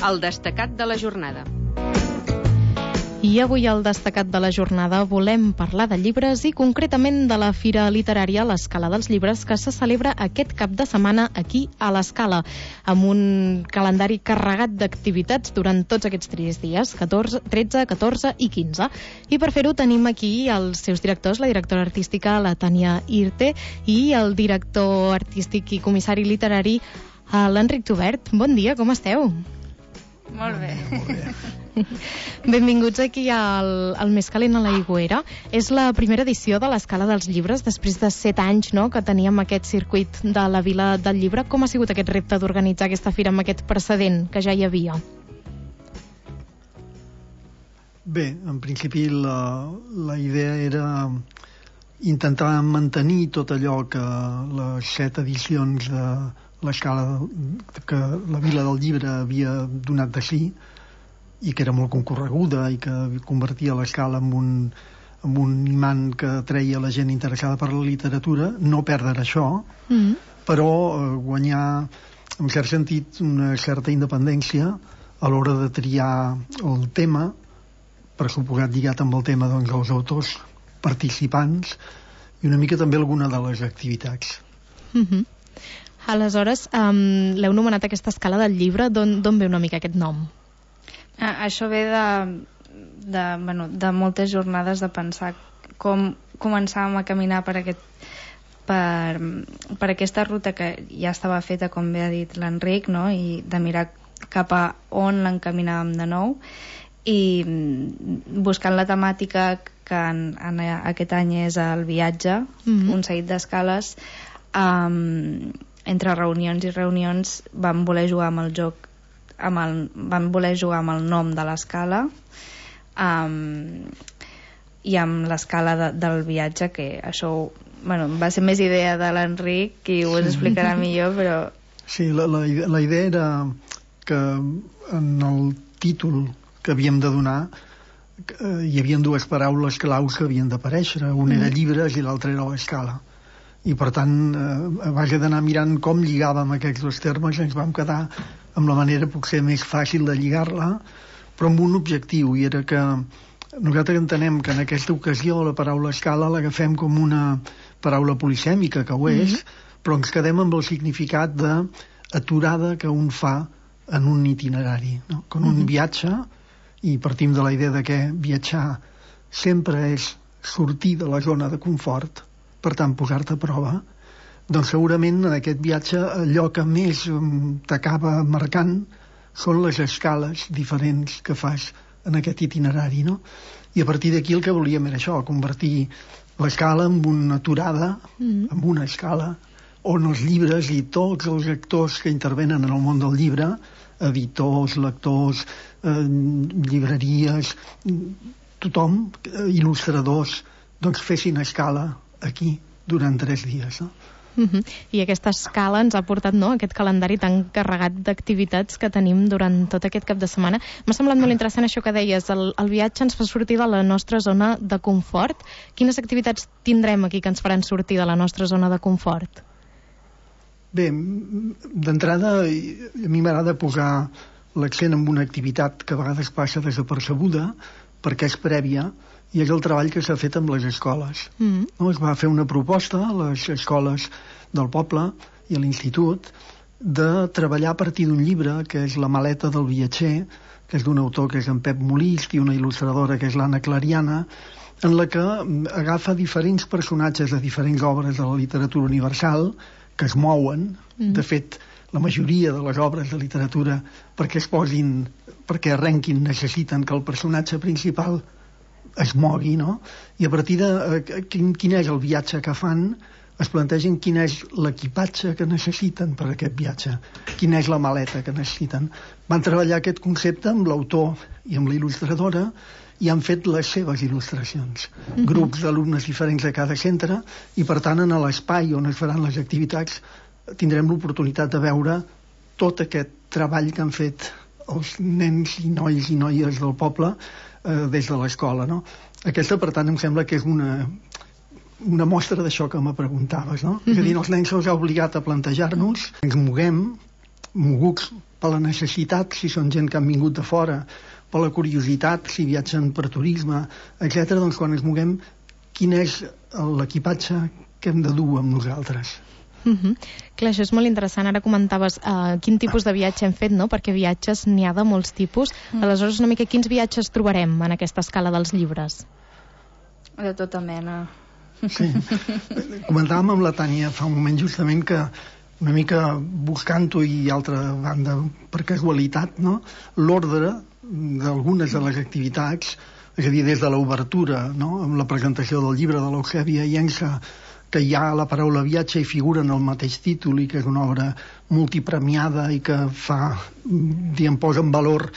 el destacat de la jornada. I avui al destacat de la jornada volem parlar de llibres i concretament de la Fira Literària l'Escala dels Llibres que se celebra aquest cap de setmana aquí a l'Escala amb un calendari carregat d'activitats durant tots aquests 3 dies, 13, 14 i 15. I per fer-ho tenim aquí els seus directors, la directora artística, la Tània Irte, i el director artístic i comissari literari, l'Enric Tubert. Bon dia, com esteu? Molt bé. Molt bé. Benvinguts aquí al Més calent a l'Aigüera. És la primera edició de l'Escala dels Llibres, després de 7 anys, no?, que teníem aquest circuit de la Vila del Llibre. Com ha sigut aquest repte d'organitzar aquesta fira amb aquest precedent que ja hi havia? Bé, en principi la idea era intentar mantenir tot allò que les 7 edicions de l'Escala que la Vila del Llibre havia donat de si, i que era molt concorreguda i que convertia l'Escala en un imant que treia la gent interessada per la literatura, no perdre això, però guanyar, en cert sentit, una certa independència a l'hora de triar el tema, per suposat lligat amb el tema dels autors participants i una mica també alguna de les activitats. Aleshores, l'heu nomenat aquesta Escala del Llibre, d'on ve una mica aquest nom? Això ve de moltes jornades de pensar com començàvem a caminar per aquesta ruta que ja estava feta, com bé ha dit l'Enric, no? I de mirar cap a on l'encaminàvem de nou i buscant la temàtica que en aquest any és el viatge, un seguit d'escales. Entre reunions i reunions vam voler jugar amb el joc, vam voler jugar amb el nom de l'escala i amb l'escala del viatge, que això va ser més idea de l'Enric i ho explicarà millor, però... Sí, la idea era que en el títol que havíem de donar hi havia 2 paraules claus que havien d'aparèixer, una era llibres i l'altra era l'escala, i per tant a base d'anar mirant com lligàvem aquests 2 termes ens vam quedar amb la manera potser més fàcil de lligar-la, però amb un objectiu, i era que nosaltres entenem que en aquesta ocasió la paraula escala l'agafem com una paraula polisèmica, que ho és, però ens quedem amb el significat d'aturada que un fa en un itinerari, no? Com un viatge, i partim de la idea de que viatjar sempre és sortir de la zona de confort, per tant posar-te a prova, doncs segurament en aquest viatge allò que més t'acaba marcant són les escales diferents que fas en aquest itinerari, no? I a partir d'aquí el que volíem era això, convertir l'escala en una aturada, en una escala, on els llibres i tots els actors que intervenen en el món del llibre, editors, lectors, llibreries, tothom, il·lustradors, doncs fessin escala aquí durant 3 dies, no? I aquesta escala ens ha portat, no?, aquest calendari tan carregat d'activitats que tenim durant tot aquest cap de setmana. M'ha semblat molt interessant això que deies, el viatge ens fa sortir de la nostra zona de confort. Quines activitats tindrem aquí que ens faran sortir de la nostra zona de confort? Bé, d'entrada a mi m'agrada posar l'accent en una activitat que a vegades passa desapercebuda perquè és prèvia, i és el treball que s'ha fet amb les escoles. No? Es va fer una proposta a les escoles del poble i a l'institut de treballar a partir d'un llibre que és La maleta del viatger, que és d'un autor que és en Pep Molist i una il·lustradora que és l'Anna Clariana, en la que agafa diferents personatges de diferents obres de la literatura universal que es mouen. De fet, la majoria de les obres de literatura perquè arrenquin necessiten que el personatge principal es mogui, no? I a partir de quin és el viatge que fan, es plantegen quin és l'equipatge que necessiten per aquest viatge, quina és la maleta que necessiten. Van treballar aquest concepte amb l'autor i amb la il·lustradora i han fet les seves il·lustracions. Grups d'alumnes diferents de cada centre, i per tant en l'espai on es faran les activitats tindrem l'oportunitat de veure tot aquest treball que han fet els nens i nois i noies del poble des de l'escola, no? Aquesta, per tant, em sembla que és una mostra d'això que me preguntaves, no? És a dir, els nens se'ls ha obligat a plantejar-nos, ens moguem, moguts per la necessitat, si són gent que han vingut de fora, per la curiositat, si viatgen per turisme, etc. Doncs quan ens moguem, quin és l'equipatge que hem de dur amb nosaltres? Clar, això és molt interessant. Ara comentaves quin tipus de viatge hem fet, no? Perquè viatges n'hi ha de molts tipus. Aleshores, una mica, quins viatges trobarem en aquesta escala dels llibres? De tota mena. Sí. Comentàvem amb la Tània fa un moment justament que una mica buscant-ho i altra banda per casualitat, no? L'ordre d'algunes de les activitats, és a dir, des de l'obertura, no? Amb la presentació del llibre de l'Eusèbia Llença, que hi ha la paraula viatge i figura en el mateix títol i que és una obra multipremiada i que fa, posa en valor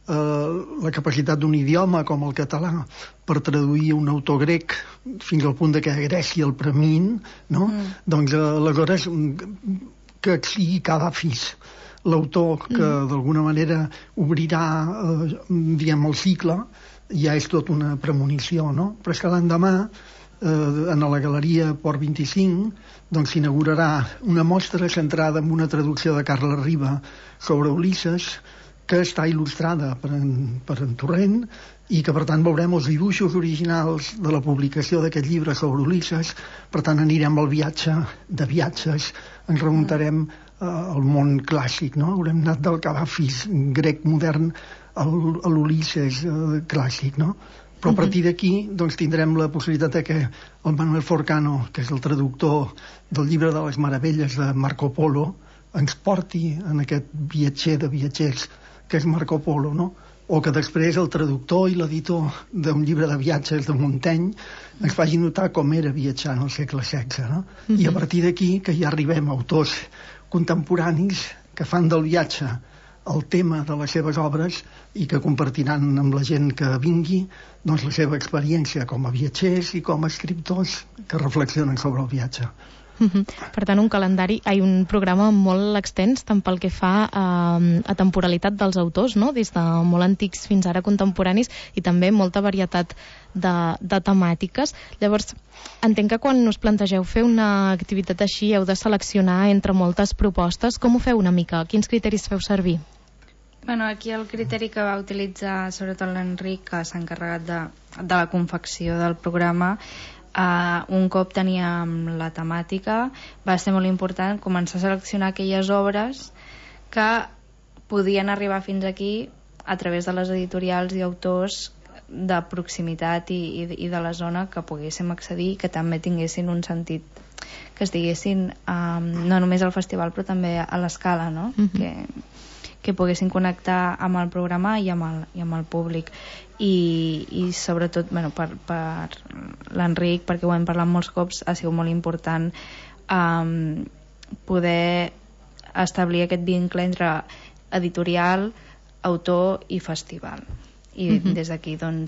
la capacitat d'un idioma com el català per traduir un autor grec fins al punt de que a Grècia el premin, no? Doncs aleshores que sigui Kadafis l'autor que d'alguna manera obrirà el cicle, ja és tot una premonició, no? Però és que l'endemà en la Galeria Port 25 doncs s'inaugurarà una mostra centrada en una traducció de Carles Riba sobre Ulisses, que està il·lustrada per en Torrent i que per tant veurem els dibuixos originals de la publicació d'aquest llibre sobre Ulisses. Per tant anirem al viatge de viatges, ens remuntarem al món clàssic, no? Haurem anat del Kadafis grec modern a l'Ulisses clàssic, no? Però a partir d'aquí doncs, tindrem la possibilitat que el Manuel Forcano, que és el traductor del llibre de les meravelles de Marco Polo, ens porti en aquest viatger de viatgers que és Marco Polo, no? O que després el traductor i l'editor d'un llibre de viatges de Montaigne ens faci notar com era viatjar en el segle XVI, no? I a partir d'aquí que ja arribem a autors contemporanis que fan del viatge el tema de les seves obres i que compartiran amb la gent que vingui doncs, la seva experiència com a viatgers i com a escriptors que reflexionen sobre el viatge. Per tant, un programa molt extens tant pel que fa a temporalitat dels autors, no? Des de molt antics fins ara contemporanis, i també molta varietat de temàtiques. Llavors, entenc que quan us plantegeu fer una activitat així heu de seleccionar entre moltes propostes. Com ho feu una mica? Quins criteris feu servir? Bueno, aquí el criteri que va utilitzar sobretot l'Enric, que s'ha encarregat de la confecció del programa, un cop teníem la temàtica, va ser molt important començar a seleccionar aquelles obres que podien arribar fins aquí a través de les editorials i autors de proximitat i de la zona que poguéssim accedir, que també tinguessin un sentit, que estiguessin no només al festival però també a l'escala, no? Que poguessin connectar amb el programa i amb el públic. I sobretot per l'Enric, perquè ho hem parlat molts cops, ha sigut molt important poder establir aquest vincle entre editorial, autor i festival, i des d'aquí ell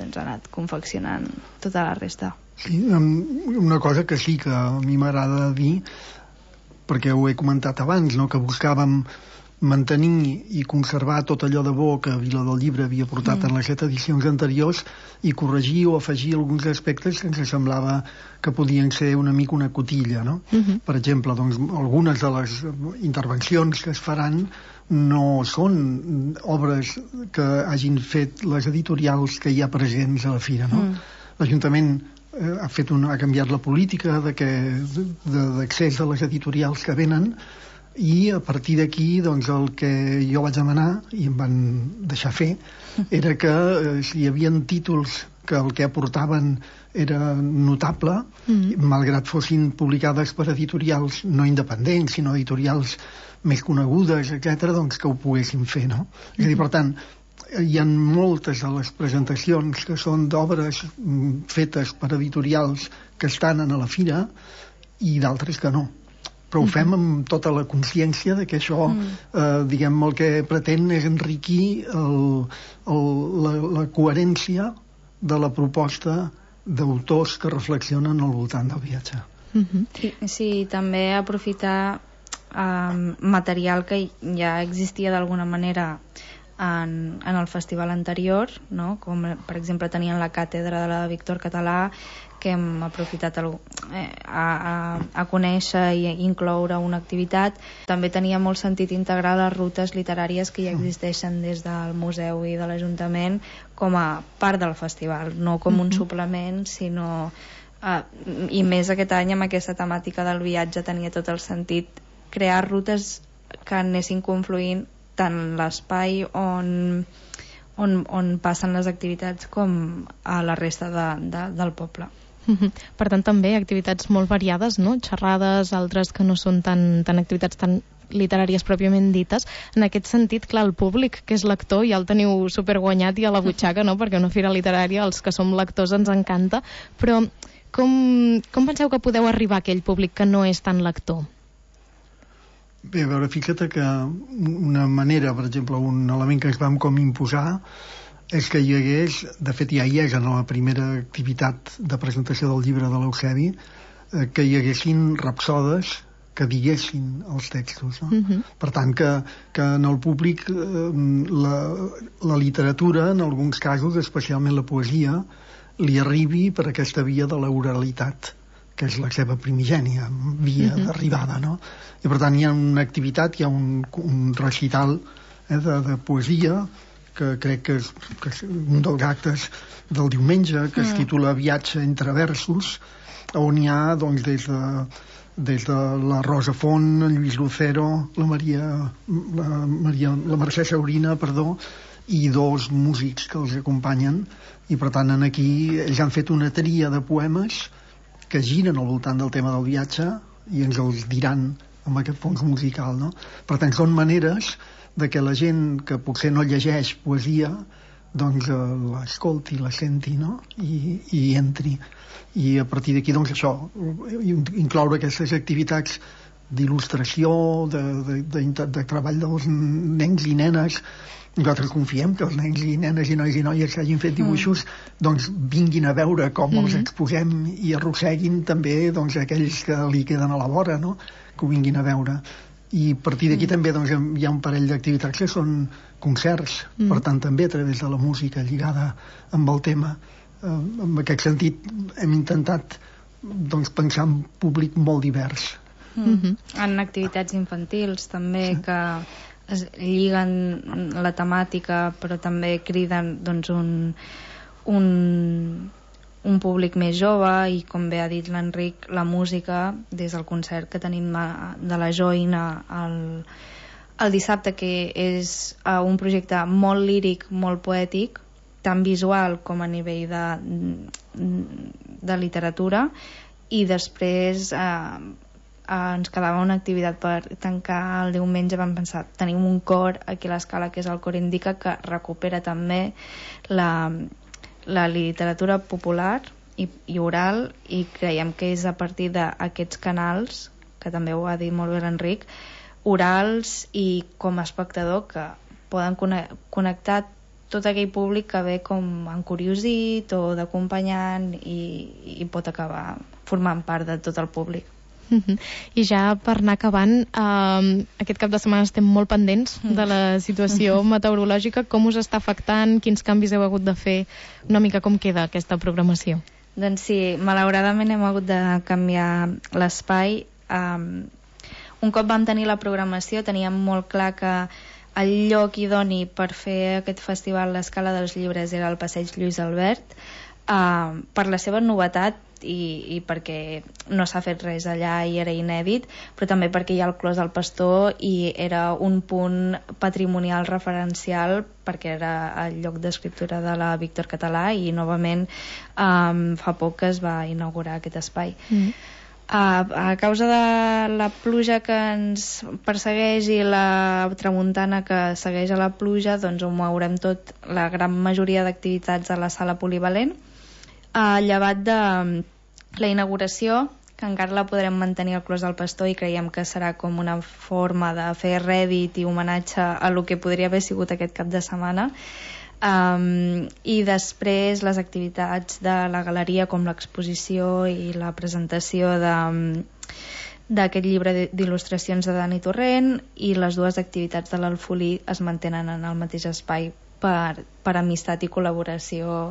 ha anat confeccionant tota la resta. Sí, una cosa que sí que a mi m'agrada dir, perquè ho he comentat abans, no? Que buscàvem mantenir i conservar tot allò de bo que Vila del Llibre havia portat en les 7 edicions anteriors i corregir o afegir alguns aspectes que ens semblava que podien ser una mica una cotilla, no? Per exemple, doncs, algunes de les intervencions que es faran no són obres que hagin fet les editorials que hi ha presents a la fira, no? L'Ajuntament ha canviat la política d'accés a les editorials que venen, i a partir d'aquí doncs, el que jo vaig demanar i em van deixar fer era que si hi havia títols que el que aportaven era notable, malgrat fossin publicades per editorials no independents sinó editorials més conegudes, etc., doncs que ho poguessin fer, no? És a dir, per tant, hi ha moltes de les presentacions que són d'obres fetes per editorials que estan a la fira i d'altres que no, però ho fem amb tota la consciència de que això, diguem, el que pretén és enriquir la coherència de la proposta d'autors que reflexionen al voltant del viatge. Sí, també aprofitar material que ja existia d'alguna manera en el festival anterior, no? Com per exemple tenien la càtedra de la Víctor Català, que hem aprofitat a conèixer i incloure una activitat. També tenia molt sentit integrar les rutes literàries que ja existeixen des del museu i de l'Ajuntament com a part del festival, no com un suplement, sinó i més aquest any amb aquesta temàtica del viatge tenia tot el sentit crear rutes que anessin confluint tant l'espai on passen les activitats com a la resta del poble. Per tant, també activitats molt variades, no? Xerrades, altres que no són tan activitats tan literàries pròpiament dites. En aquest sentit, clar, el públic, que és lector, ja el teniu superguanyat i a la butxaca, no? Perquè una fira literària, els que som lectors ens encanta, però com penseu que podeu arribar a aquell públic que no és tan lector? Bé, a veure, fixa't que una manera, per exemple, un element que ens vam com imposar és que hi hagués, de fet ja hi és en la primera activitat de presentació del llibre de l'Eusebi, que hi haguessin rapsodes que diguessin els textos, no? Per tant, que en el públic la literatura, en alguns casos, especialment la poesia, li arribi per aquesta via de l'oralitat, que és la seva primigènia via d'arribada, no? I per tant hi ha una activitat, hi ha un recital de poesia que crec que és un dels actes del diumenge, que es titula Viatge entre versos, on hi ha doncs, des de la Rosa Font, el Lluís Lucero, la Mercè Saurina, i dos músics que els acompanyen, i per tant aquí ells han fet una tria de poemes que giren al voltant del tema del viatge i ens els diran amb aquest fons musical, no? Per tant, són maneres de que la gent que potser no llegeix poesia doncs l'escolti, la senti, no? I entri. I a partir d'aquí, doncs això, incloure aquestes activitats d'il·lustració, de treball dels nens i nenes. Nosaltres confiem que els nens i nenes i nois i noies que hagin fet dibuixos doncs vinguin a veure com els exposem i arrosseguin també doncs, aquells que li queden a la vora, no? Que ho vinguin a veure. I a partir d'aquí també doncs, hi ha un parell d'activitats que són concerts, per tant també a través de la música lligada amb el tema. En aquest sentit hem intentat doncs, pensar en públic molt divers. En activitats infantils també que es lliguen la temàtica però també criden doncs, un públic més jove i, com bé ha dit l'Enric, la música, des del concert que tenim de la Joina el dissabte, que és un projecte molt líric, molt poètic, tant visual com a nivell de literatura, i després ens quedava una activitat per tancar el diumenge. Vam pensar, tenim un cor aquí a l'Escala que és el Cor Indica, que recupera també la literatura popular i oral, i creiem que és a partir d'aquests canals, que també ho ha dit molt bé l'Enric, orals i com a espectador, que poden connectar tot aquell públic que ve com encuriosit o d'acompanyant i pot acabar formant part de tot el públic. I ja per anar acabant, aquest cap de setmana estem molt pendents de la situació meteorològica. Com us està afectant? Quins canvis heu hagut de fer? Una mica com queda aquesta programació? Doncs sí, malauradament hem hagut de canviar l'espai. Un cop vam tenir la programació teníem molt clar que el lloc idoni per fer aquest festival l'Escala dels Llibres era el Passeig Lluís Albert, per la seva novetat i perquè no s'ha fet res allà i era inèdit, però també perquè hi ha el Clos del Pastor i era un punt patrimonial referencial, perquè era el lloc d'escriptura de la Víctor Català, i novament fa poc que es va inaugurar aquest espai. A causa de la pluja que ens persegueix i la tramuntana que segueix a la pluja, doncs ho mourem tot, la gran majoria d'activitats a la sala polivalent, llevat de la inauguració, que encara la podrem mantenir al Clos del Pastor, i creiem que serà com una forma de fer rèdit i homenatge a lo que podria haver sigut aquest cap de setmana. I després les activitats de la galeria, com l'exposició i la presentació d'aquest llibre d'il·lustracions de Dani Torrent, i les dues activitats de l'Alfolí es mantenen en el mateix espai per amistat i col·laboració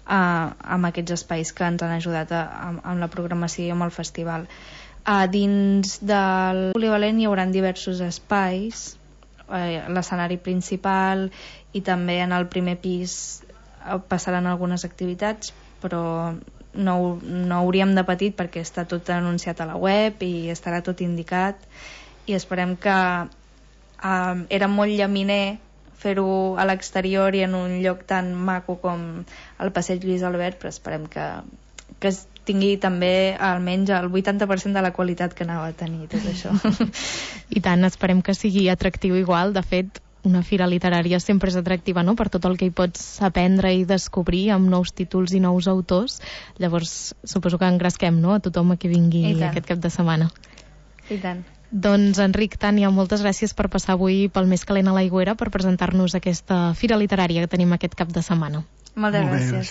amb aquests espais que ens han ajudat amb la programació i amb el festival. Dins del polivalent hi haurà diversos espais, l'escenari principal, i també en el primer pis passaran algunes activitats, però no hauríem de patir perquè està tot anunciat a la web i estarà tot indicat, i esperem que era molt llaminer fer-ho a l'exterior i en un lloc tan maco com el Passeig Lluís Albert, però esperem que tingui també almenys el 80% de la qualitat que anava a tenir tot això. I tant, esperem que sigui atractiu igual. De fet, una fira literària sempre és atractiva, no?, per tot el que hi pots aprendre i descobrir amb nous títols i nous autors. Llavors, suposo que engresquem, no?, a tothom que vingui aquest cap de setmana. I tant. Doncs, Enric, Tània, moltes gràcies per passar avui pel Més Calent a l'Aigüera per presentar-nos aquesta fira literària que tenim aquest cap de setmana. Moltes gràcies.